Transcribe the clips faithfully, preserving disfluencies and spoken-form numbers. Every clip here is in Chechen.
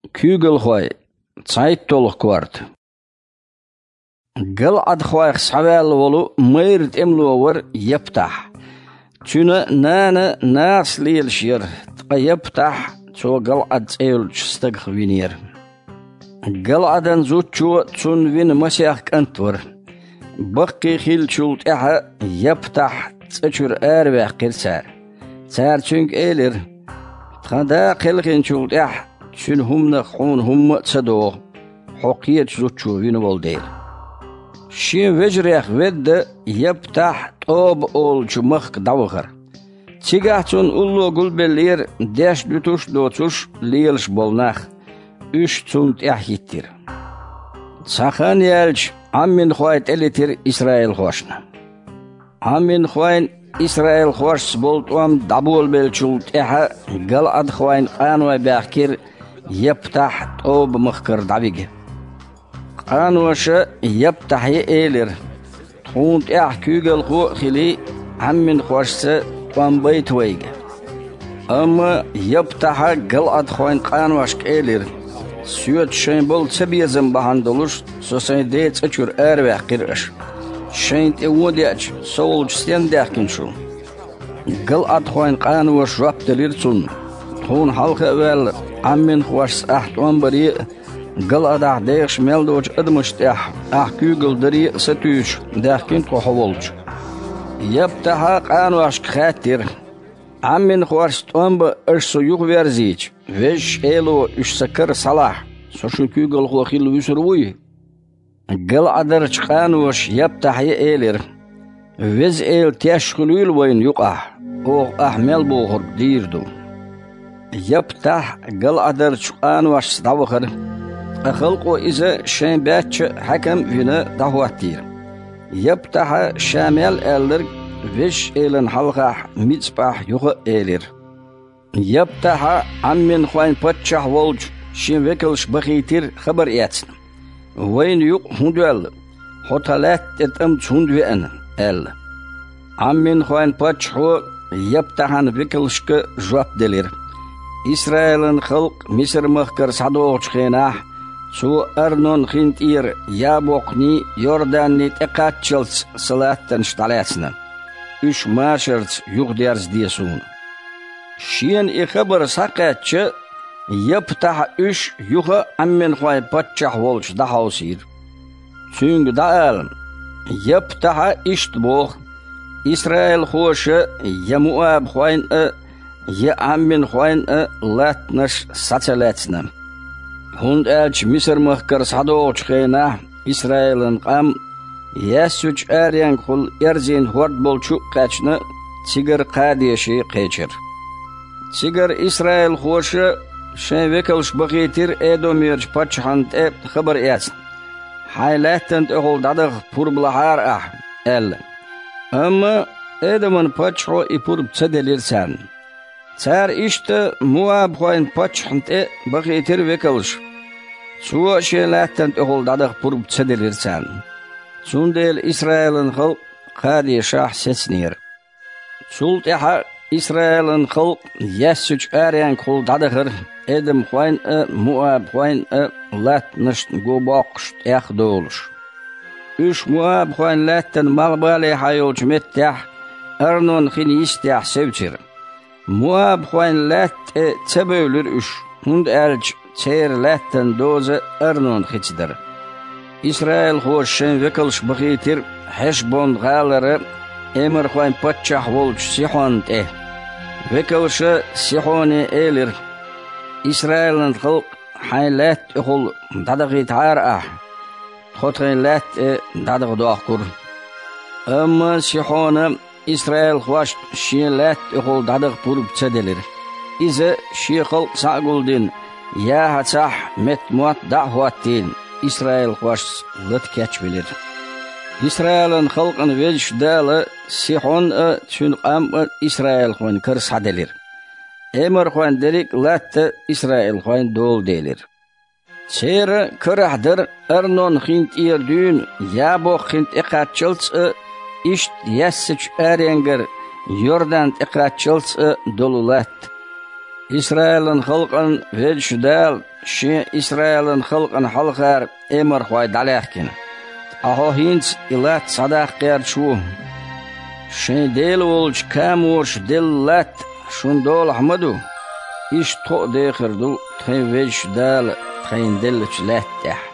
Куьйгалхой. ЦхьайтталгӀа корта. ГалӀадхойх схьаваьнна волу майра тӀемало вара Яптахь. Цуьнан нана нахаца лелаш яра, ткъа Яптахь цо ГалӀад цӀе йолчу стагах винера. ГалӀадан зудчо цунна вина масех кӀант вара. Баккхий хиллачул тӀаьхьа Яптахь цӀа чуьра араваьккхира цара. Цара цуьнга элира: «Тхан да кхелхинчул тӀаьхьа цуьнан хӀуманах хьуна хӀумма а ца догӀу, хьо кхечу зудчо вина волу дела». Шен вежарех ведда Яптахь ТӀоба олучу махка дӀавахара. Цигахь цунна улло гулбеллера деш дуьтуш а доцуш лелаш болу нах. Уьш цунна тӀаьхьахӀиттира. Цхьа хан яьлча, Ӏамминхой тӀелетира исраилхошна. Ӏамминхойн исраилхошца болу тӀом дӀаболабеллачул тӀаьхьа галӀадхойн къаной баьхкира Яптахь ТӀоба-махкара дӀавига. Къаноша Яптахье элира: «Тхуна тӀехь куьйгалхо а хилий, Ӏамминхошца тӀом байта вайга». Амма Яптахьа галӀадхойн къаношка элира: «Соьца шайн болу цабезам бахьана долуш со сайн ден цӀа чуьра араваьккхира аша. Шайна тӀе вон деача, со волчу стенна даьхкина шу?» ГалӀадхойн къаноша жоп делира цунна: «Тхуна хьалха а ваьлла, Ӏамминхошца ахь тӀом баре а, галӀадахь дехаш мел доцучу адамашна тӀехь ахь куьйгалла даре а сатуьйсуш даьхкина тхо хьо волчу». Яптахьа къаношка хаьттира: «Ӏамминхошца тӀом бан аша со юхаверзийча, Везачу Эло уьш сан кара схьалахь, со шун куьйгалхо хилла вуьсур вуй?» ГалӀадарчу къаноша Яптахье элира: «Веза Эла теш хуьлийла вайна юкъахь, оха ахь мел бохург дийр ду». Яптахь галӀадарчу къаношца дӀавахара, ткъа халкъо иза шайн баьчча а хьаькам а вина дӀахӀоттийра. Яптахьа ша мел аьлларг Везачу Элана хьалхахь Мицпахь юха а элира. Яптахьа Ӏамминхойн паччахь волчу шен векалш бахийтира хабар эцна: «Вайна юкъа хӀун доьлла? Хьо тхан лаьтта тӀе тӀамца хӀунда веана?» – аьлла. Ӏамминхойн паччахьо Яптахьан векалшка жоп делира: «Исраилан халкъ Мисар-махкара схьадогӀучу хенахь, цо Арнон-хин тӀера Ябокхний, Йорданний тӀекхаччалц сан латтанаш дӀалаьцна. Уьш машарца юхадерзаде суна». Шена и хабар схьакхаьчча, Яптахьа уьш юха а Ӏамминхойн паччахь волчу дӀахьовсийра. Цуьнга дӀаала: «Яптахьа иштта боху: „Исраилхоша я муабхойн а, я Ӏамминхойн а латтанаш схьа ца лаьцна“. ХӀунда аьлча Мисар-махкара схьадогӀучу хенахь Исраилан къам Яьссачу аренгахула эрзийна хӀорд болчу а кхаьчна, цигара Кхадеше кхечира. Цигара исраилхоша шайн векалш бахийтира Эдомерчу паччахьна тӀе хабар эцна: „Хьайн лаьттан тӀехула дӀадаха пурба лахьара ахь“, – аьлла. Амма Эдоман паччахьо и пурба ца делира царна. Цара иштта муабхойн паччахьна тӀе бахийтира векалш. Цо а шен лаьттан тӀехула дӀадаха пурба ца делира царна. Цундела Исраилан халкъ Кхадешахь сецнера. Цул тӀаьхьа Исраилан халкъ Яьссачу аренгахула дӀадахара, эдомхойн а, муабхойн а латтанашна го боккхуш тӀех а долуш. Уьш муабхойн лаьттан малхбалехьа йолчу меттехь, Арнон-хин йистехь севцира. Муабхойн лаьтта тӀе ца бевлира уьш, хӀунда аьлча церан лаьттан доза Арнон-хица дара. Исраилхоша шайн векалш бахийтира Хьешбон-гӀалара эморхойн паччахь волчу Сихьонна тӀе. Векалша Сихьоне элира: «Исраилан халкъ хьайн лаьтта тӀехула дӀадахийтахьара ахь, тхо тхайн лаьтта тӀе дӀадаха дохкура». Амма Сихьона исраилхошна шен лаьтта тӀехула дӀадаха пурба ца делира. Иза, шен халкъ схьа а гулдина, ЯхӀацахь метта мотт дӀа а хӀоттийна, исраилхошца лата кечвелира. Исраилан халкъан Везачу Дала Сихьон а, цуьнан къам а исраилхойн кара схьаделира. Эморхойн дерриг а латта исраилхойн дола делира. Церан карахь дара Арнон-хин тӀера дуьйна Ябокх-хин тӀекхаччалц а, иштта Яьссачу аренгара Йордан тӀекхаччалц а долу латта. Исраилан халкъан Везачу Дала Шен Исраилан халкъана хьалхара эмархой дӀалаьхкина. Ткъа хьо хӀинца и латта схьадаккха гӀерташ ву. Шайн Дела волчу Камораша делла латта шуна долахь ма ду? Иштта тхо а дехар ду тхайн Везачу Дала тхайна деллачу лаьтта тӀехь.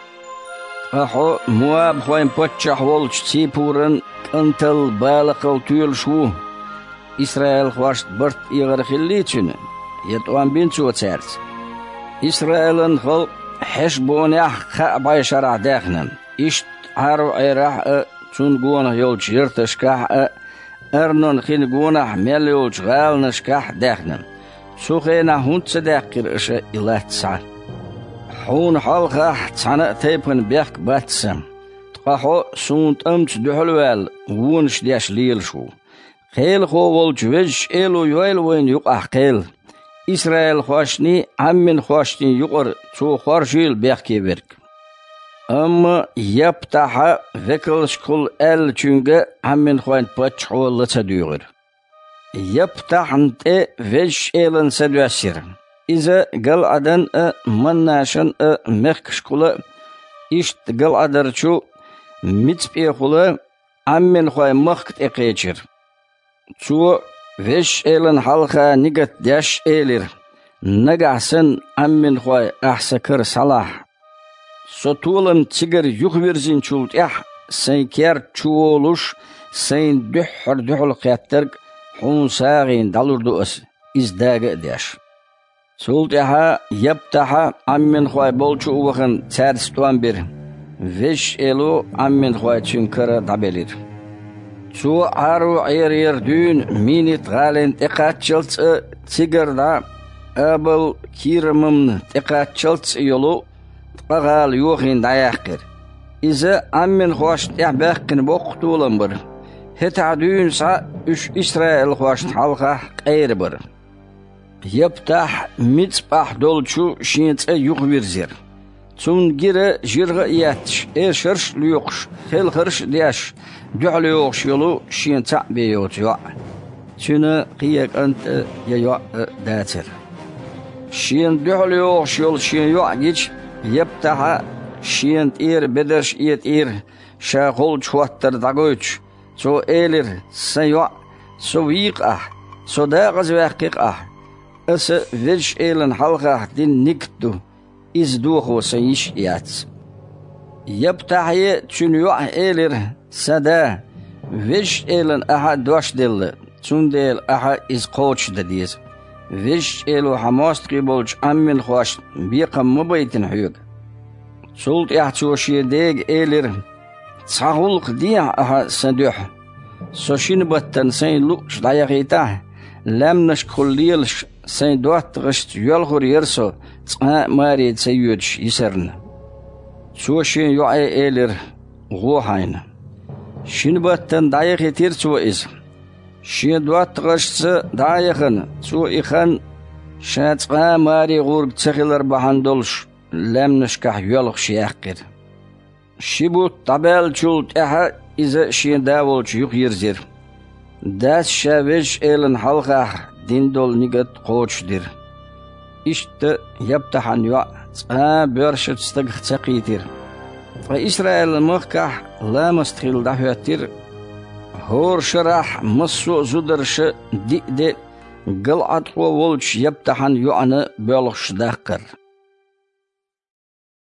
Ткъа хьо муабхойн паччахь волчу Ципуран кӀантал Балакъал тоьлуш ву. Исраилхошна барт эгӀар хиллий цуьнан, я тӀом бина цо цаьрца? Исраилан халкъ Хьешбонехь а, кхаа бӀешарахь а даьхна, иштта Ӏаро-Ӏерахь а, цунна гонах йолчу ярташкахь а, Арнон хин гонахь мел йолчу гӀаланашкахь а даьхна. Цу хенахь хӀунда ца даьккхира аша и латта схьа? Хьуна хьалхахь цхьана а тайпана бехк бац сан. Ткъа хьо суна тӀамца дуьхьал а ваьлла, вонаш деш лелаш ву. Кхелахо волчу Везачу Эло йойла вайна юкъахь кхел. Исраилхошний, Ӏамминхошний юкъара цо хоржийла бехке верг. Амма Яптахьа векалшкахула аьллачуьнга Ӏамминхойн паччахьо ла ца дуьйгӀира. Яптахьна тӀе Везачу Элан са доьссира. Иза ГалӀадан а, Маннашан а мехкашкахула а, иштта ГалӀадарчу Мицпехула Ӏамминхойн махка тӀекхечира. Цо, Везачу Элана хьалха нигат деш, элира: «Нагахь санна, Ӏамминхой, ахь сан кара схьалахь. Со толам цигара юхавирзинчул тӀаьхьа сайн керта чу волуш, сайна дуьххьара дуьхьал кхеттарг хьуна сагӀина дӀалур ду аса, иза дага а деш». Цул тӀаьхьа Яптахьа Ӏамминхой болчу а вахана, цаьрца тӀом бира. Везачу Эло Ӏамминхой цуьнан кара дӀабелира. Цо Ӏаро-Ӏерера дуьйна Минит-гӀалина тӀекхаччалц а, цигара дӀа Абал-Кирамамна тӀекхаччалц а йолу ткъа гӀала йохийна дӀаяьккхира. Иза Ӏамминхошна тӀехь баьккхина боккха толам бара. ХӀетахь дуьйна схьа уьш исраилхошна хьалхахь къера бара. Яптахь Мицпахь долчу шен цӀа юхавирзира. Цунна гира жиргӀа а етташ, эшарш а лоькхуш, хелхарш а деш, дуьхьал йогӀуш йолу шен цхьаъ бен йоцу йоӀ. Цуьнан кхин я кӀант а, я йоӀ а дацара. Шена дуьхьал йогӀуш йолу шен йоӀ гича, Яптахьа шена тӀера бедарш а этӀийра, ша холчу хӀоттар дӀагойтуш. Цо элира: «Сан йоӀ, со вийкха ахь, со дакъазваьккхи-кх ахь. Аса Везачу Элана хьалхахь дина нигат ду, иза дохо сан йиш а яц». Яптахье цуьнан йоӀе элира: «Сан да, Везачу Элана ахьа дош делла, цундела ахьа иза кхочушдан деза. Везачу Эло хьан мостагӀий болчу Ӏамминхошна бекхам ма байтина хьоьга». Цул тӀаьхьа цо шен дега элира: «Цхьа гӀуллакх дехьа ахьа сан дуьхьа. Со шина баттана сайна луъуш дӀаяхийтахь, лаьмнашкахула лелаш сайн доттагӀашца йоьлхур яра со, цкъа а маре ца йоьдуш йисарна». Цо шен йоӀе элира: «ГӀо хьайна». Шина баттана дӀаяхийтира цо иза. Шен доттагӀашца дӀа а яхана, цо и хан, ша цкъа а маре гӀург ца хилар бахьана долуш, лаьмнашкахь йоьлхуш яьккхира. Ши бутт дӀабаьллачул тӀаьхьа иза шен да волчу юхайирзира. Дас ша Везачу Элана хьалхахь дина долу нигат кхочушдира. Иштта Яптахьан йоӀ цкъа а боьршачу стагах ца кхийтира. Ткъа Исраилан махкахь ламаст хилла дӀахӀоьттира хӀора шарахь массо а зударша диъ де ГалӀадхо волчу Яптахьан йоӀана боьлхуш даккхар.